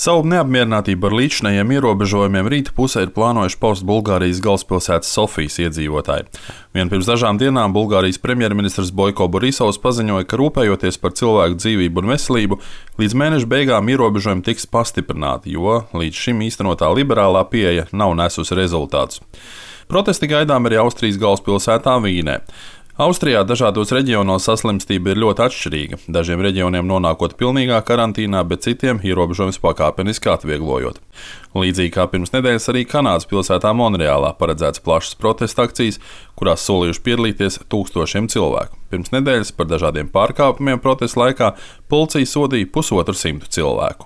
Savu neapmierinātību ar līdzinājiem ierobežojumiem rīta pusē ir plānojuši paust Bulgārijas galvaspilsētas Sofijas iedzīvotāji. Vien pirms dažām dienām Bulgārijas premjerministrs Boiko Borisovs paziņoja, ka rūpējoties par cilvēku dzīvību un veselību, līdz mēneša beigām ierobežojumi tiks pastiprināti, jo līdz šim īstenotā liberālā pieeja nav nesusi rezultātus. Protesti gaidām arī Austrijas galvaspilsētā Vīnē. Austrijā dažādos reģionos saslimstība ir ļoti atšķirīga, dažiem reģioniem nonākot pilnīgā karantīnā, bet citiem ierobežojums pakāpeniski atvieglojot. Līdzīgi kā pirms nedēļas arī Kanādas pilsētā Monreālā paredzēts plašas protesta akcijas, kurās solījuši piedalīties tūkstošiem cilvēku. Pirms nedēļas par dažādiem pārkāpumiem protesta laikā policija sodīja 150 cilvēku.